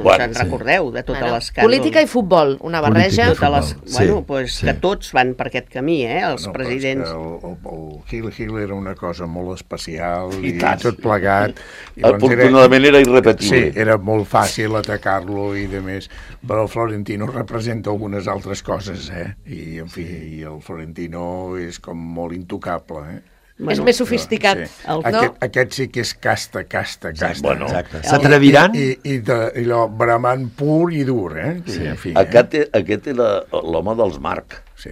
Bueno, Us en sí. recordeu de tota Bueno, l'escàndol? política i futbol, una barreja. Política i Totes les, futbol, bueno, sí, pues, sí. que tots van per aquest camí, eh, els No, presidents. però és que el, el, el Hill Hill era una cosa molt especial i, I tant. tot plegat. I doncs Afortunadament era irrepetible. Sí, era molt fàcil atacar-lo i de més, però el Florentino representa algunes altres coses, eh? I, en fi, i el Florentino és com molt intocable, eh? És més sofisticat, El- no? Aquest, aquest sí que és casta, casta, casta. Bueno, Exacte. S'atreviran? I, i, i, de, i allò bramant pur i dur, eh? Sí, en fi, Aquest, aquest era l'home dels Marc. eh? Sí.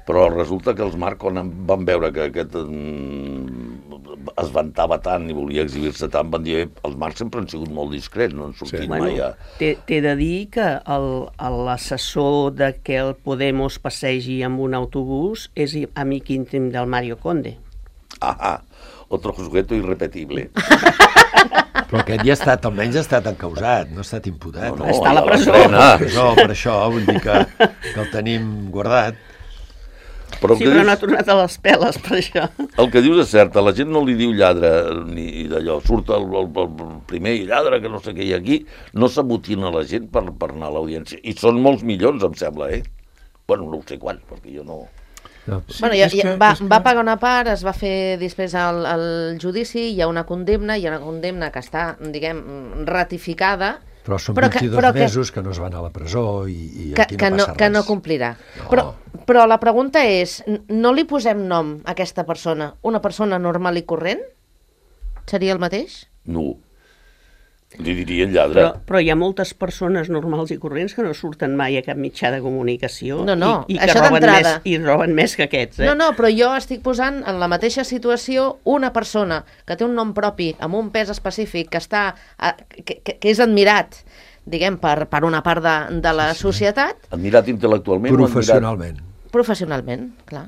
Però resulta que els Marc, quan en van veure que aquest mm, es vantava tant i volia exhibir-se tant, van dir, eh, els Marc sempre han sigut molt discrets, no han sortit Sí. mai Bueno, a... t'he t'he de dir que el- l'assessor de que el Podemos passegi amb un autobús és i- amic íntim del Mario Conde. Ah, ah, otro sujeto irrepetible. Però aquest ja ha estat, almenys ha estat encausat, no ha estat imputat. No, no, Està a la ja presó. l'estrena. Per això, per això, vull dir que, que el tenim guardat. Però sí, però dius... no ha tornat a les peles, per això. El que dius és cert, a la gent no li diu lladre ni d'allò, surt el, el, el primer lladre que no sé què hi ha aquí, no s'amotina la gent per, per anar a l'audiència. I són molts milions, em sembla, eh? Bueno, no ho sé quants, perquè jo no... No. Sí, bueno, ja, ja, va, va pagar una part, es va fer després el, el judici, hi ha una condemna, hi ha una condemna que està, diguem, ratificada, però són però vint-i-dos que, però mesos que, que no es van a la presó i, i que, aquí no que passa no, res. Que no complirà. No. Però, però la pregunta és, no li posem nom a aquesta persona? Una persona normal i corrent? Seria el mateix? No. Li dirien lladre. Però, però hi ha moltes persones normals i corrents que no surten mai a cap mitjà de comunicació no, no, i, i que això roben d'entrada. més, i roben més que aquests. Eh? No, no, però jo estic posant en la mateixa situació una persona que té un nom propi, amb un pes específic, que, està, que, que, que és admirat, diguem, per, per una part de, de la sí, societat. Admirat intel·lectualment professionalment. o admirat... Professionalment, clar.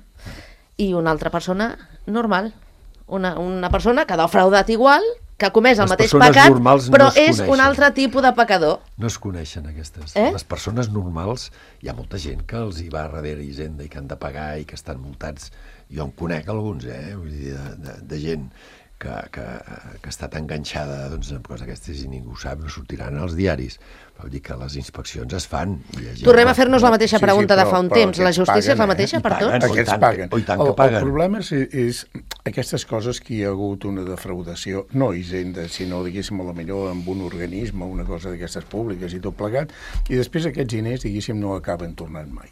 I una altra persona normal. Una, una persona que ha defraudat igual, que ha comès el les mateix pecat, però no és un altre tipus de pecador. No es coneixen aquestes. Eh? Les persones normals, hi ha molta gent que els hi va darrere Hisenda i que han de pagar i que estan multats. Jo en conec alguns, eh? Vull dir, de, de, de gent que, que, que ha estat enganxada doncs, amb coses aquestes i ningú sap, no sortiran als diaris. Vol dir que les inspeccions es fan. I Tornem a fer-nos la mateixa pregunta sí, sí, però, de fa un temps. La justícia paguen, és la mateixa eh? per tots? Aquests paguen. Oh, i tant que el, paguen. El problema és, és aquestes coses que hi ha hagut una defraudació, no Hisenda, sinó, diguéssim, a la millor amb un organisme, una cosa d'aquestes públiques i tot plegat, i després aquests diners, diguéssim, no acaben tornant mai.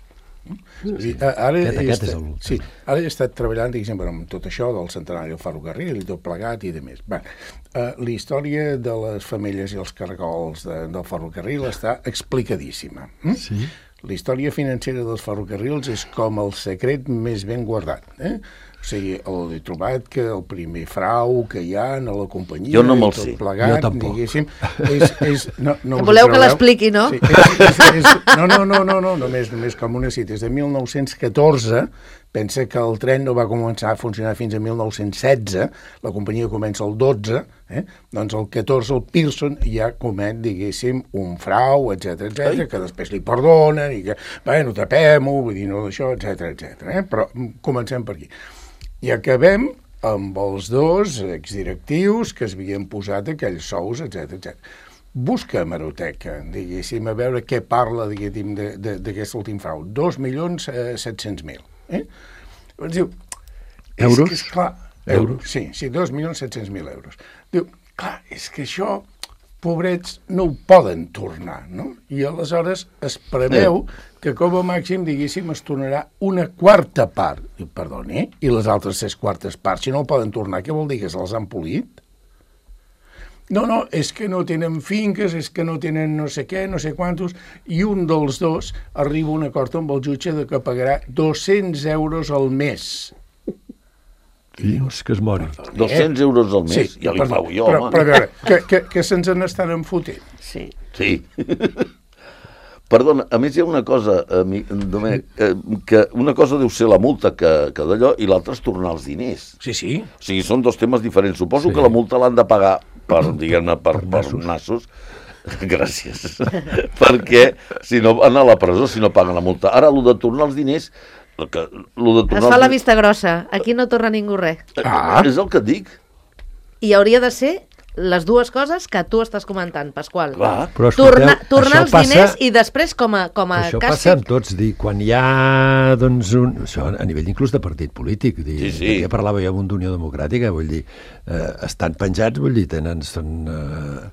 Sí. Ara, aquest, aquest estat, és el... sí, ara he estat treballant, diguéssim, amb tot això del centenari del ferrocarril i tot plegat i de més. Va, uh, la història de les femelles i els caragols de, del ferrocarril està explicadíssima. Mm? Sí. La història financera dels ferrocarrils és com el secret més ben guardat. Eh? O sigui, he trobat que el primer frau que hi ha a la companyia... Jo no me'l sé. Plegat, jo tampoc. És, és, no, no voleu que l'expliqui, no? Sí, és, és, és, no, no, no, no, no, només, només com una cita. És de mil nou-cents catorze, pensa que el tren no va començar a funcionar fins a mil nou-cents setze, la companyia comença el dotze, eh? Doncs el catorze el Pearson ja comet, diguéssim, un frau, etcètera, etcètera, que després li perdonen i que, bueno, tapem-ho, vull dir, no d'això, etcètera, etcètera. Eh? Però comencem per aquí. I acabem amb els dos exdirectius que es havien posat aquells sous, etcètera, etcètera. Busca a hemeroteca, diguéssim, a veure què parla, diguéssim, d'aquest últim frau. Dos milions set-cents mil. Eh? Llavors diu... Euros? És que, esclar, euros? Sí, sí, dos milions set-cents mil euros. Diu, clar, és que això, pobrets, no ho poden tornar, no? I aleshores es preveu que com a màxim, diguéssim, es tornarà una quarta part. Diu, perdoni, eh? I les altres ses quartes parts, si no ho poden tornar, què vol dir, que se'ls han polit? No, no, és que no tenen finques, és que no tenen no sé què, no sé quantos, i un dels dos arriba a un acord amb el jutge de que pagarà dos-cents euros al mes. Dius que es mori. dos-cents euros al mes, sí, ja li perdó, pago jo, però, home. però a veure, que, que, que se'ns n'estan enfotent. Sí. Sí. Perdona, a més hi ha una cosa, ami, Domènec, eh, que una cosa deu ser la multa que, que d'allò i l'altra és tornar els diners. Sí, sí. O sigui, són dos temes diferents. Suposo Sí. que la multa l'han de pagar per, diguem-ne, per, Per per nassos. nassos. Gràcies. Perquè si no van a la presó si no paguen la multa. Ara, el de tornar els diners... El que, el de Es tornar fa els la diners- vista grossa. Aquí no torna ningú res. Ah. És el que et dic. I hauria de ser les dues coses que tu estàs comentant, Pasqual. Clar. Però escolteu, Tornar, tornar això els passa- diners i després com a, com a Això passa amb càstig... tots, dir, quan hi ha, doncs, un, això a nivell inclús de partit polític, dir, Sí, sí. ja parlava jo amb un d'Unió Democràtica, vull dir, eh, estan penjats, vull dir, tenen, són, eh,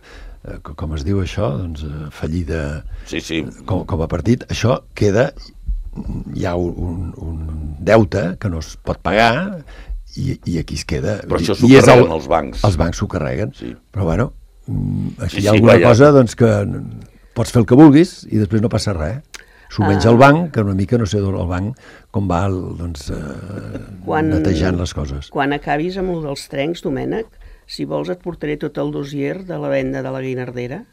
eh, com es diu això, doncs, eh, fallida Sí, sí. com, com a partit, això queda, hi ha un, un deute que no es pot pagar i, i aquí es queda. Però això s'ho I és carreguen els bancs. Els bancs s'ho carreguen, Sí. però bueno, mm, aquí Sí, hi ha sí, alguna vaja. cosa doncs, que pots fer el que vulguis i després no passa res. S'ho menja Ah. el banc, que una mica no sé d'on el banc com va doncs, eh, Quan- netejant les coses. Quan acabis amb el dels trencs, Domènec, si vols et portaré tot el dossier de la venda de la Guinardera,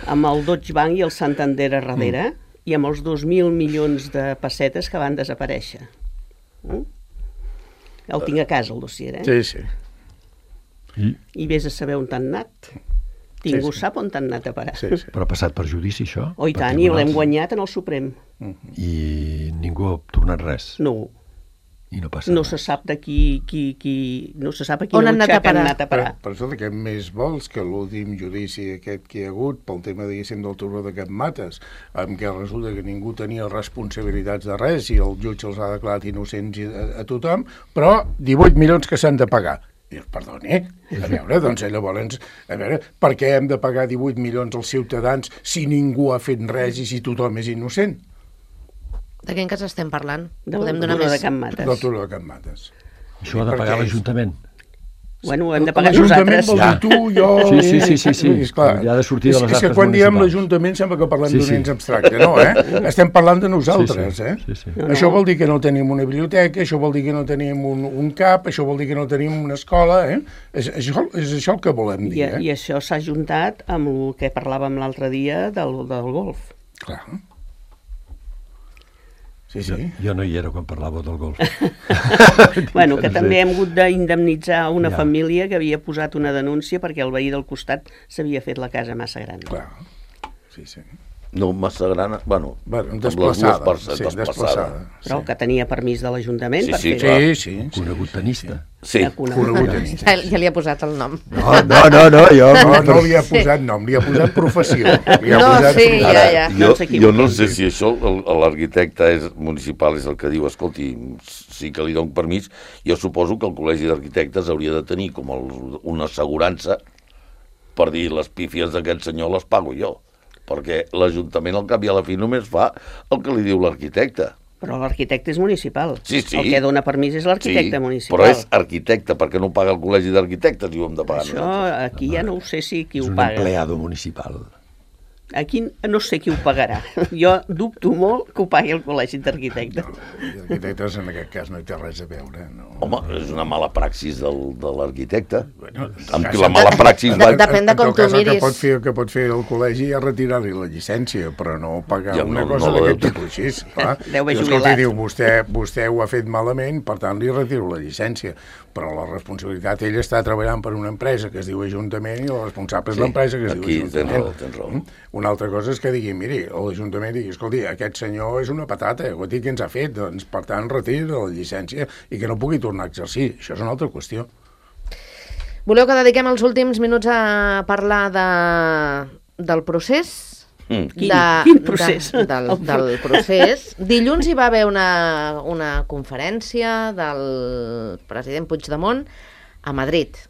amb el Deutsche Bank i el Santander a darrere, mm. i amb els dos mil milions de pessetes que van desaparèixer. Mm? El tinc a casa, el dossier, eh? Sí, sí. I, I vés a saber on t'han anat. Ningú sí. sap on t'han anat a parar. Sí, sí. però ha passat per judici, això? Oh, i Per tant, i l'hem tribunals? guanyat en el Suprem. I ningú ha tornat res. No, I no passa no res. se sap de qui, qui, qui no se sap a On quina han anat a butxaca han parar? anat a Per, parar. per això que més vols que l'últim judici aquest que hi ha hagut pel tema, diguéssim, del turó de Cap Mates, en què resulta que ningú tenia responsabilitats de res i el jutge els ha declarat innocents a, a tothom, però divuit milions que s'han de pagar. I dius, perdoni, a veure, doncs llavors, a veure, per què hem de pagar divuit milions als ciutadans si ningú ha fet res i si tothom és innocent? De quin cas estem parlant? Del Podem donar turó més... de Can Mates. Del turó de Cap Mates. Això ha de pagar Perquè és- l'Ajuntament. Bueno, ho hem de pagar L'Ajuntament nosaltres. vol dir tu, jo... Sí, sí, sí, sí, sí. És, clar, Ja ha de sortir de les és, és que arques quan diem municipals. l'Ajuntament sembla que parlem Sí, d'un sí. ens abstracte, no, eh? Estem parlant de nosaltres, Sí, sí. eh? Sí, sí. No, Això no. vol dir que no tenim una biblioteca, això vol dir que no tenim un, un cap, això vol dir que no tenim una escola, eh? És, això, és això el que volem I, dir, eh? I això s'ha juntat amb el que parlàvem l'altre dia del, del golf. Clar. Sí, Jo, sí. jo no hi era quan parlàveu del golf. Bueno, que No sé. també hem hagut d'indemnitzar una Ja. família que havia posat una denúncia perquè el veí del costat s'havia fet la casa massa gran. Clar. Sí, sí. No massa gran, bueno, Bueno, amb les desplaçada. dues parts, Sí, desplaçada. desplaçada. Però que tenia permís de l'Ajuntament Sí, per sí, fer-ho. clar. Sí, sí. sí. Conegut tenista. Sí, Ja conegut. Conegut tenista. Ja, ja li ha posat el nom. No, no, no, no jo... No, no li ha posat nom, li ha posat professió. Li ha No, posat sí, professió. ja, ja. jo, No s'equivoqui. jo no sé si això, el- l'arquitecte és municipal és el que diu, escolti, sí que li dono permís, jo suposo que el Col·legi d'Arquitectes hauria de tenir com el, una assegurança per dir les pífies d'aquest senyor les pago jo, perquè l'Ajuntament al cap i a la fi només fa el que li diu l'arquitecte. Però l'arquitecte és municipal. Sí, sí. El que dona permís és l'arquitecte municipal. però és arquitecte, perquè no paga el Col·legi d'Arquitectes i ho hem de pagar Això nosaltres. aquí ja no ho sé si qui És ho un paga. empleado municipal. Aquí no sé qui ho pagarà. Jo dubto molt que ho pagui el Col·legi d'Arquitectes. I arquitectes en aquest cas no hi té res a veure. No. Home, és una mala praxis del, de l'arquitecte. Bueno, en tot Amb cas, la mala praxis... De- va- depèn de en com tot tu cas, el miris. que pot fer, el que pot fer el col·legi és retirar-li la llicència, però no pagar Ja, una no- cosa no la d'aquest deu- tipus així. Clar. Deu haver I, escolti, jubilat. diu, vostè, vostè ho ha fet malament, per tant li retiro la llicència. Però la responsabilitat, ell està treballant per una empresa que es diu Ajuntament i el responsable és Sí, l'empresa que es aquí diu tens Ajuntament. raó, tens raó. Mm? Una altra cosa és que digui, miri, l'Ajuntament digui, escolti, aquest senyor és una patata, guati, què ens ha fet? Doncs, per tant, retiri la llicència i que no pugui tornar a exercir. Això és una altra qüestió. Voleu que dediquem els últims minuts a parlar de, del procés? Mm. Quin- de, quin procés? De, del, del procés. Dilluns hi va haver una, una conferència del president Puigdemont a Madrid.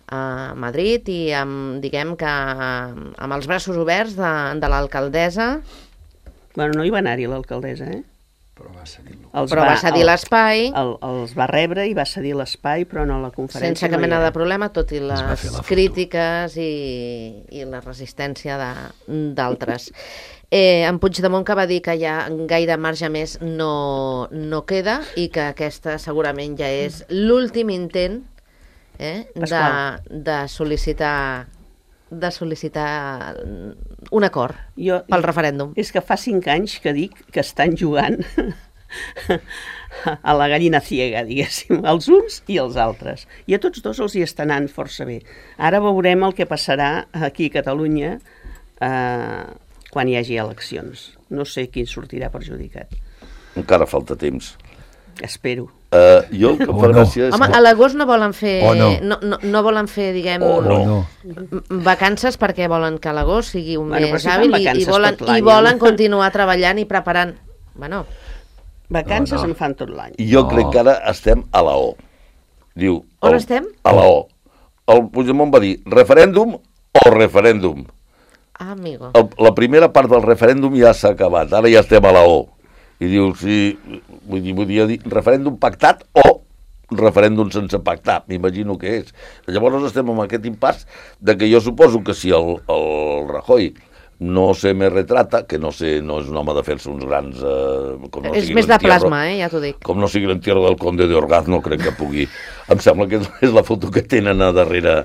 A Madrid i amb, diguem que amb els braços oberts de, de l'alcaldessa, Bueno, no hi va anar-hi l'alcaldessa, eh? Però va cedir-lo. Els però va cedir el- l'espai el, els va rebre i va cedir l'espai, però no la conferència. sense cap no hi mena era. de problema, tot i va fer les la foto. crítiques i, i la resistència de- d'altres. Eh, en Puigdemont que va dir que ja gaire marge més no, no queda i que aquesta segurament ja és l'últim intent eh, de, Pasqual. de sol·licitar de sol·licitar un acord Jo, pel referèndum. És que fa cinc anys que dic que estan jugant a la gallina ciega, diguéssim, els uns i els altres. I a tots dos els hi està anant força bé. Ara veurem el que passarà aquí a Catalunya eh, quan hi hagi eleccions. No sé qui sortirà perjudicat. Encara falta temps. Espero. Uh, jo, el que O fa no. gràcia és... Home, a l'agost no volen fer... O no. no, no, no volen fer, diguem... O no. No. m- vacances perquè volen que l'agost sigui un Bueno, però mes si fan hàbil i, i vacances volen, tot l'any, i volen home. continuar treballant i preparant. Bueno, Vacances No, no. en fan tot l'any. Jo No. crec que ara estem a la O. Diu... On el- estem? A la O. El Puigdemont va dir referèndum o referèndum. ah, amigo. El, la primera part del referèndum ja s'ha acabat, ara ja estem a la O. I diu, sí, vull dir, vull dir referèndum pactat o referèndum sense pactar, m'imagino que és. Llavors estem en aquest impàs de que jo suposo que si el, el Rajoy no se me retrata, que no sé, no és un home de fer-se uns grans... Eh, com no És sigui més de l'entierro- plasma, eh? Ja t'ho dic. Com no sigui l'entierro del conde de Orgaz, no crec que pugui... Em sembla que és la foto que tenen a darrere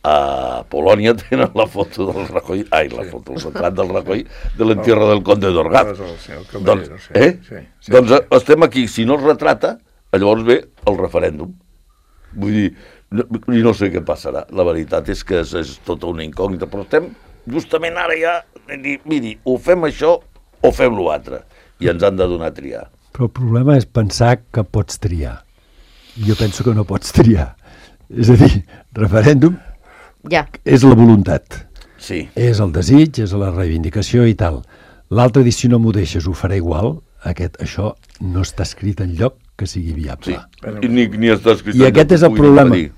a Polònia, tenen la foto del Rajoy... Ai, la foto, el retrat del Rajoy de l'entierro del conde d'Orgaz. Sí, el Doncs, Caballero, sí, eh? sí, sí. doncs eh, estem aquí, si no es retrata, llavors ve el referèndum. Vull dir, no, i no sé què passarà. La veritat és que és, és tota una incògnita, però estem justament ara ja, de dir, miri, o fem això o fem l'altre, i ens han de donar a triar. Però el problema és pensar que pots triar. Jo penso que no pots triar. És a dir, referèndum Ja. és la voluntat. Sí. És el desig, és la reivindicació i tal. L'altre dir, si no m'ho deixes, ho faré igual. Aquest, això no està escrit en lloc que sigui viable. Sí. I ni, ni està escrit I aquest és el problema. Impedir.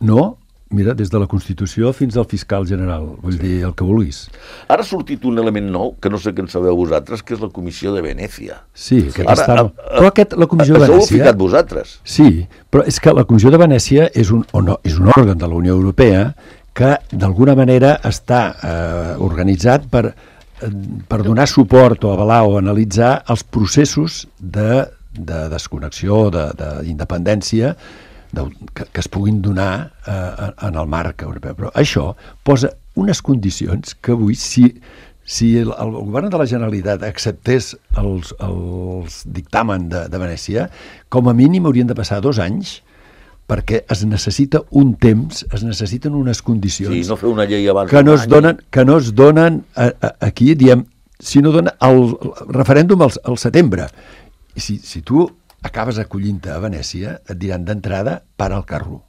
No, mira, des de la Constitució fins al fiscal general, vull dir, el que vulguis. Ara ha sortit un element nou, que no sé què en sabeu vosaltres, que és la Comissió de Venècia. Sí, aquest Ara, està... a- a- Però aquest, la Comissió de Això ho heu Venècia... ficat vosaltres. Sí, però és que la Comissió de Venècia és un, o no, és un òrgan de la Unió Europea que d'alguna manera està eh, organitzat per, eh, per donar suport o avalar o analitzar els processos de, de desconnexió, d'independència que, que es puguin donar eh, en el marc europeu. Però això posa unes condicions que avui, si, si el, el govern de la Generalitat acceptés els, els dictamen de, de Venècia, com a mínim haurien de passar dos anys perquè es necessita un temps, es necessiten unes condicions Sí, no fer una llei abans que no d'un es any. donen, que no es donen a, a, aquí, diem, si no dona el, el referèndum al, al setembre. I si, si tu acabes acollint-te a Venècia, et diran d'entrada, para el carro.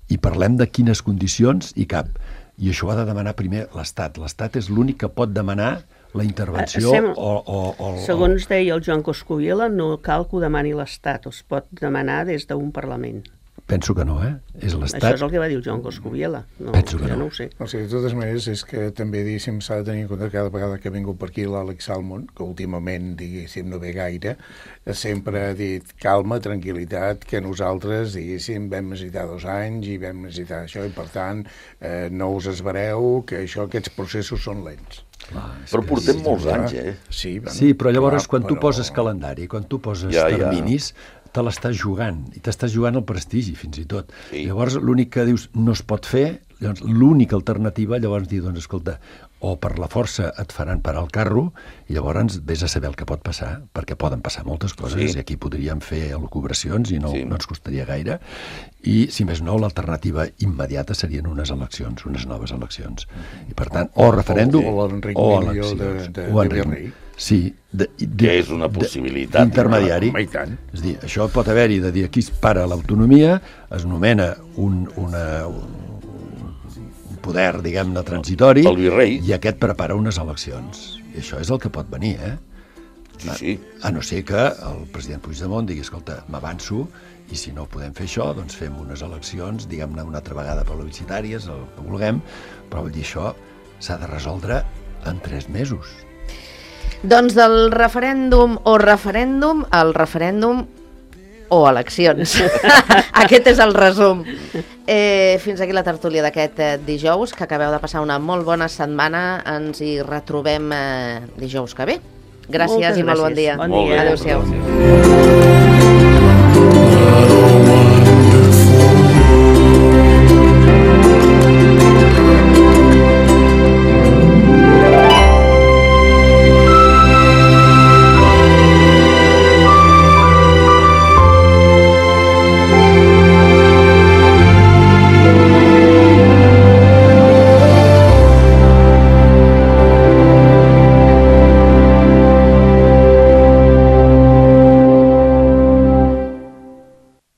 I parlem de quines condicions i cap. I això ho ha de demanar primer l'Estat. L'Estat és l'únic que pot demanar la intervenció Sem- o, o, o... Segons deia el Joan Coscubiela, no cal que ho demani l'Estat, es pot demanar des d'un Parlament. Penso que no, eh? És Això l'Estat... és el que va dir el Joan Coscubiela. No, Penso que jo no. no ho sé. O sigui, de totes maneres, és que també, diguéssim, s'ha de tenir en compte que cada vegada que ha vingut per aquí l'Àlex Salmon, que últimament, diguéssim, no ve gaire, sempre ha dit calma, tranquil·litat, que nosaltres, diguéssim, vam necessitar dos anys i vam necessitar això, i per tant, eh, no us esvereu, que això, aquests processos són lents. Clar, és Però que portem sí, molts clar. anys, eh? Sí, bueno, Sí, però llavors clar, quan tu però- poses calendari, quan tu poses Ja, ja. terminis, te l'estàs jugant, i t'estàs jugant el prestigi, fins i tot. Sí. Llavors, l'únic que dius no es pot fer, llavors l'única alternativa, llavors dir, doncs, escolta, o per la força et faran parar el carro, i llavors vés a saber el que pot passar, perquè poden passar moltes coses, Sí. i aquí podríem fer elucubracions i no, Sí. no ens costaria gaire, i, si més no, l'alternativa immediata serien unes eleccions, unes noves eleccions. I, per tant, o referèndum o l'Enric o Millo de- eleccions. de- O de Enric- virrei. Sí, de, de, Que és una possibilitat. Intermediari. Home, i tant. És a dir, això pot haver-hi de dir aquí es para l'autonomia, es nomena un, una, un poder, diguem-ne, transitori, El virrei. i aquest prepara unes eleccions. I això és el que pot venir, eh? Sí, sí. A no ser que el president Puigdemont digui, escolta, m'avanço, i si no podem fer això, doncs fem unes eleccions, diguem-ne, una altra vegada plebiscitàries, el que vulguem, però vull dir, això s'ha de resoldre en tres mesos. Doncs del referèndum o referèndum, el referèndum o eleccions. Aquest és el resum. Eh, fins aquí la tertúlia d'aquest eh, dijous, que acabeu de passar una molt bona setmana. Ens hi retrobem eh, dijous que ve. Gràcies Moltes i molt bon gràcies. dia. Bon Molt bé. dia. Adéu-siau. Gràcies.